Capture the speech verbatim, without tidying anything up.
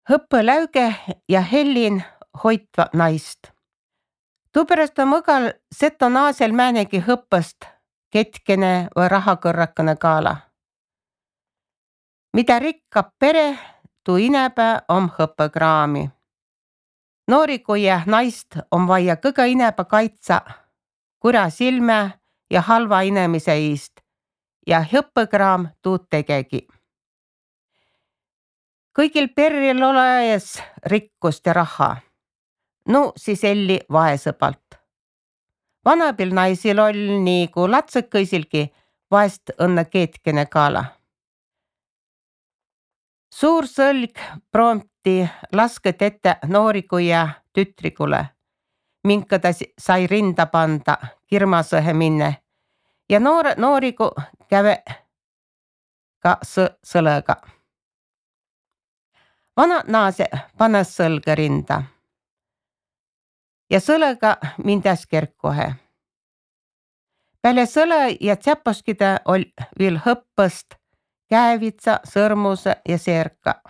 Hõppõläüge ja hellin hoitva naist. Tuupärast on mõgal seto naasel määnegi hõppõst ketkene või rahakõrrakõne kaala. Mida rikkab pere, tuu inäpä om hõppõkraami. Noorikuia naist on vaia kõga inäpä kaitsa kurja silmä ja halva inemise iist ja hõppõkraam tuud tegegi. Kõigil perril olees rikkust ja raha. Nu siis elli vaesõpalt. Vanapil naisil oll niigu latsõkõisilgi vaest õnne keetkene kaala. Suur sõlg proomti lasket ette noorikuia tütrikule, minka ta sai rinda panda kirmasõhe minne ja noor, noorigu käve ka sõlõga. Vana naase panõs sõlga rinda ja sõlõga mindäs kerkohe. Peale sõlõ ja tsäposkide oll viil hõppõst käevitsa, sõrmuse ja seerka.